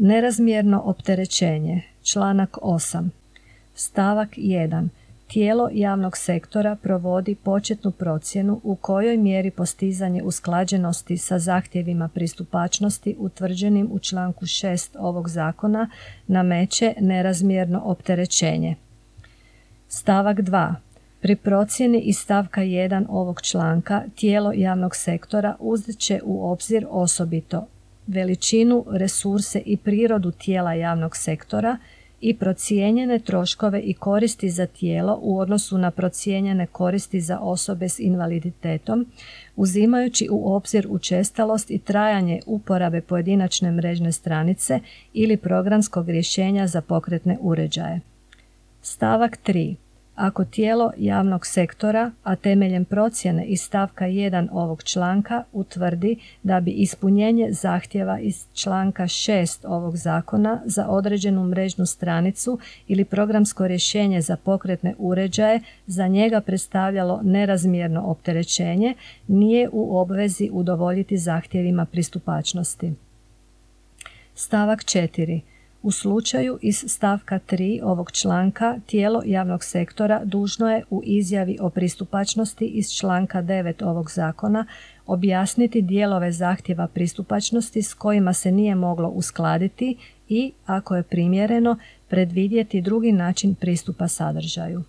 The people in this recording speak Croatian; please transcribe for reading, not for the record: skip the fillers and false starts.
Nerazmjerno opterećenje. Članak 8. Stavak 1. Tijelo javnog sektora provodi početnu procjenu u kojoj mjeri postizanje usklađenosti sa zahtjevima pristupačnosti utvrđenim u članku 6 ovog zakona nameće nerazmjerno opterećenje. Stavak 2. Pri procjeni iz stavka 1 ovog članka tijelo javnog sektora uzet će u obzir osobito veličinu, resurse i prirodu tijela javnog sektora i procijenjene troškove i koristi za tijelo u odnosu na procijenjene koristi za osobe s invaliditetom, uzimajući u obzir učestalost i trajanje uporabe pojedinačne mrežne stranice ili programskog rješenja za pokretne uređaje. Stavak 3. Ako tijelo javnog sektora, a temeljem procjene iz stavka 1 ovog članka utvrdi da bi ispunjenje zahtjeva iz članka 6 ovog zakona za određenu mrežnu stranicu ili programsko rješenje za pokretne uređaje za njega predstavljalo nerazmjerno opterećenje, nije u obvezi udovoljiti zahtjevima pristupačnosti. Stavak 4. U slučaju iz stavka 3 ovog članka tijelo javnog sektora dužno je u izjavi o pristupačnosti iz članka 9 ovog zakona objasniti dijelove zahtjeva pristupačnosti s kojima se nije moglo uskladiti i, ako je primjereno, predvidjeti drugi način pristupa sadržaju.